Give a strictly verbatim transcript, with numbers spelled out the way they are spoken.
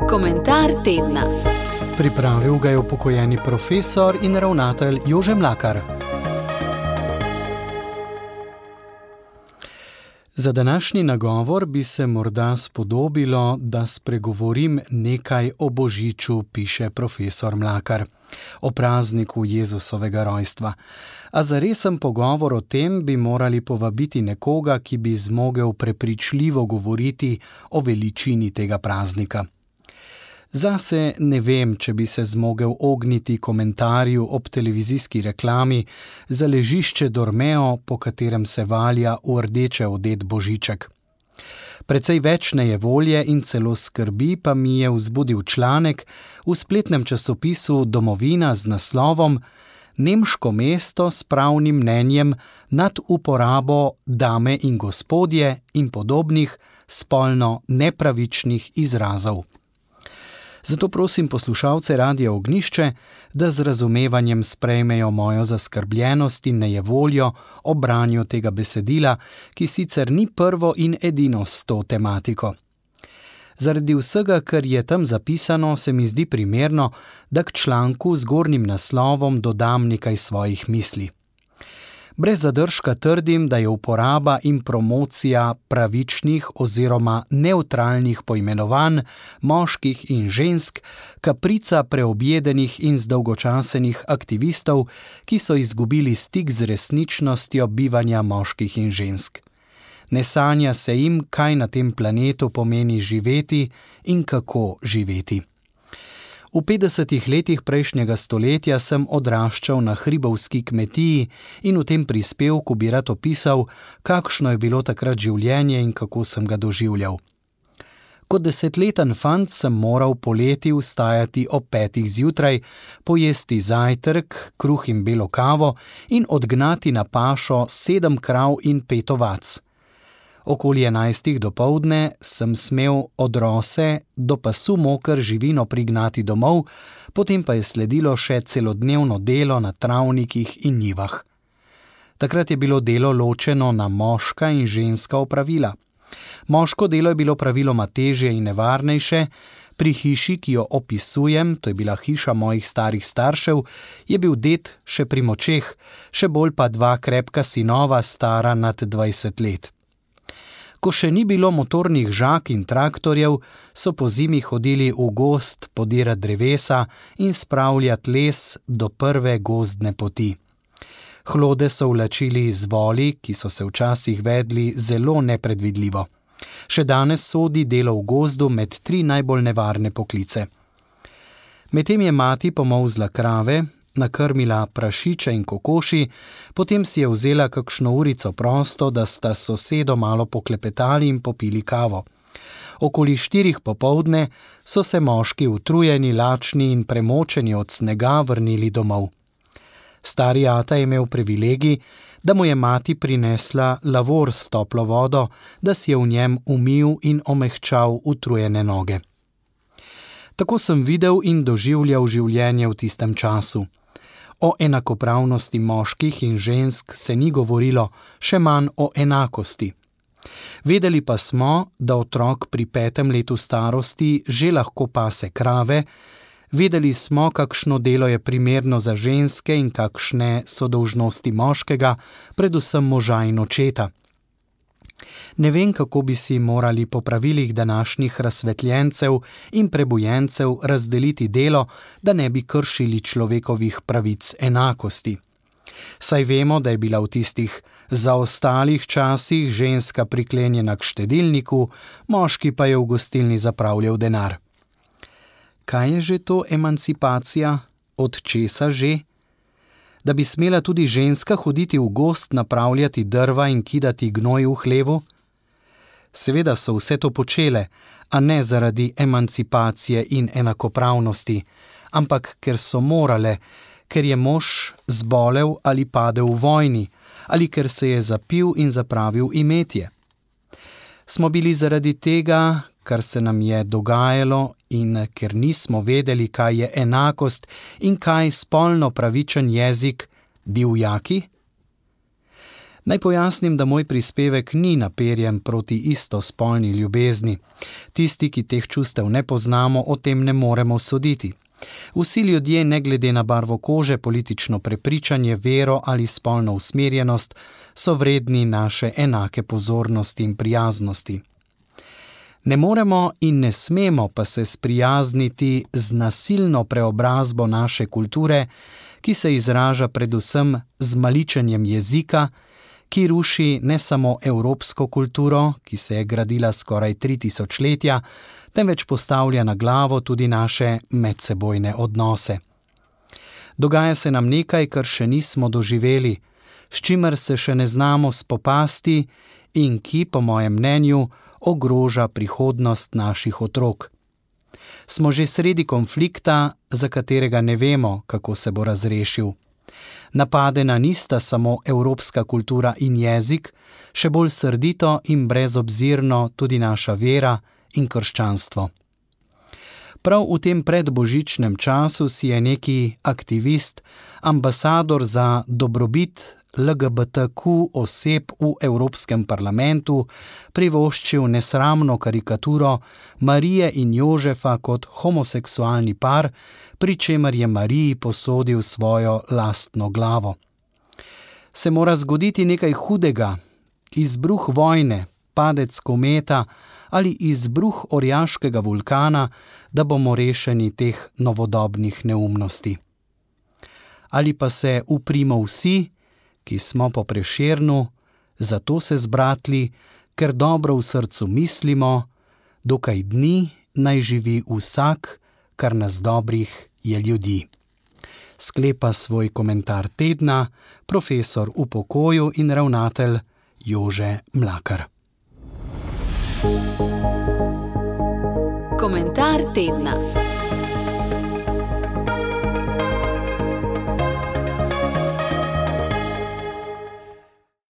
Komentar tedna. Pripravil ga je upokojeni profesor in ravnatelj Jože Mlakar. Za današnji nagovor bi se morda spodobilo, da spregovorim nekaj o Božiču, piše profesor Mlakar, o prazniku Jezusovega rojstva. A za resen pogovor o tem bi morali povabiti nekoga, ki bi zmogel prepričljivo govoriti o veličini tega praznika. Zase ne vem, če bi se zmogel ogniti komentarju ob televizijski reklami za ležišče Dormeo, po katerem se valja v rdeče odet Božiček. Precej več nejevolje in celo skrbi pa mi je vzbudil članek v spletnem časopisu Domovina z naslovom Nemško mesto s pravnim mnenjem nad uporabo dame in gospodje in podobnih spolno nepravičnih izrazov. Zato prosim poslušalce Radia Ognjišče, da z razumevanjem sprejmejo mojo zaskrbljenost in nejevoljo ob branju tega besedila, ki sicer ni prvo in edino s to tematiko. Zaradi vsega, kar je tam zapisano, se mi zdi primerno, da k članku z gornjim naslovom dodam nekaj svojih misli. Brez zadržka trdim, da je uporaba in promocija pravičnih oziroma nevtralnih poimenovanj moških in žensk kaprica preobjedenih in zdolgočasenih aktivistov, ki so izgubili stik z resničnostjo bivanja moških in žensk. Ne sanja se jim, kaj na tem planetu pomeni živeti in kako živeti. V petdesetih letih prejšnjega stoletja sem odraščal na hribovski kmetiji in v tem prispevku bi rad opisal, kakšno je bilo takrat življenje in kako sem ga doživljal. Kot desetleten fant sem moral poleti vstajati ob petih zjutraj, pojesti zajtrk, kruh in belo kavo in odgnati na pašo sedem krav in pet ovac. Okoli enajstih dopoldne sem smel od rose do pasu moker živino prignati domov, potem pa je sledilo še celodnevno delo na travnikih in njivah. Takrat je bilo delo ločeno na moška in ženska opravila. Moško delo je bilo praviloma težje in nevarnejše, pri hiši, ki jo opisujem, to je bila hiša mojih starih staršev, je bil ded še pri močeh, še bolj pa dva krepka sinova stara nad dvajset let. Ko še ni bilo motornih žag in traktorjev, so po zimi hodili v gozd podirati drevesa in spravljati les do prve gozdne poti. Hlode so vlačili z voli, ki so se včasih vedli zelo nepredvidljivo. Še danes sodi delo v gozdu med tri najbolj nevarne poklice. Medtem je mati pomolzla krave, nakrmila prašiče in kokoši, potem si je vzela kakšno urico prosto, da sta s sosedo malo poklepetali in popili kavo. Okoli štirih popoldne so se moški utrujeni, lačni in premočeni od snega vrnili domov. Stari ata je imel privilegij, da mu je mati prinesla lavor s toplo vodo, da si je v njem umil in omehčal utrujene noge. Tako sem videl in doživljal življenje v tistem času. O enakopravnosti moških in žensk se ni govorilo, še manj o enakosti. Vedeli pa smo, da otrok pri petem letu starosti že lahko pase krave, vedeli smo, kakšno delo je primerno za ženske in kakšne so dolžnosti moškega, predvsem moža in očeta. Ne vem, kako bi si morali po pravilih današnjih razsvetljencev in prebujencev razdeliti delo, da ne bi kršili človekovih pravic enakosti. Saj vemo, da je bila v tistih zaostalih časih ženska priklenjena k štedilniku, moški pa je v gostilni zapravljal denar. Kaj je že to emancipacija? Od česa že? Da bi smela tudi ženska hoditi v gozd napravljati drva in kidati gnoj v hlevu? Seveda so vse to počele, a ne zaradi emancipacije in enakopravnosti, ampak ker so morale, ker je mož zbolel ali padel v vojni, ali ker se je zapil in zapravil imetje. Smo bili zaradi tega, kar se nam je dogajalo in ker nismo vedeli, kaj je enakost in kaj spolno pravičen jezik, divjaki? Naj pojasnim, da moj prispevek ni naperjen proti istospolni ljubezni. Tisti, ki teh čustev ne poznamo, o tem ne moremo soditi. Vsi ljudje, ne glede na barvo kože, politično prepričanje, vero ali spolno usmerjenost, so vredni naše enake pozornosti in prijaznosti. Ne moremo in ne smemo pa se sprijazniti z nasilno preobrazbo naše kulture, ki se izraža predvsem z maličenjem jezika, ki ruši ne samo evropsko kulturo, ki se je gradila skoraj tri tisočletja, temveč postavlja na glavo tudi naše medsebojne odnose. Dogaja se nam nekaj, kar še nismo doživeli, s čimer se še ne znamo spopasti in ki, po mojem mnenju, ogroža prihodnost naših otrok. Smo že sredi konflikta, za katerega ne vemo, kako se bo razrešil. Napadena nista samo evropska kultura in jezik, še bolj srdito in brezobzirno tudi naša vera in krščanstvo. Prav v tem predbožičnem času si je neki aktivist, ambasador za dobrobit L G B T Q oseb v Evropskem parlamentu privoščil nesramno karikaturo Marije in Jožefa kot homoseksualni par, pri čemer je Mariji posodil svojo lastno glavo. Se mora zgoditi nekaj hudega, izbruh vojne, padec kometa ali izbruh orjaškega vulkana, da bomo rešeni teh novodobnih neumnosti. Ali pa se uprimo vsi, ki smo po Prešernu, zato se zbratli, ker dobro v srcu mislimo, dokaj dni naj živi vsak, kar nas dobrih je ljudi. Sklepa svoj komentar tedna profesor v pokoju in ravnatelj Jože Mlakar. Komentar tedna.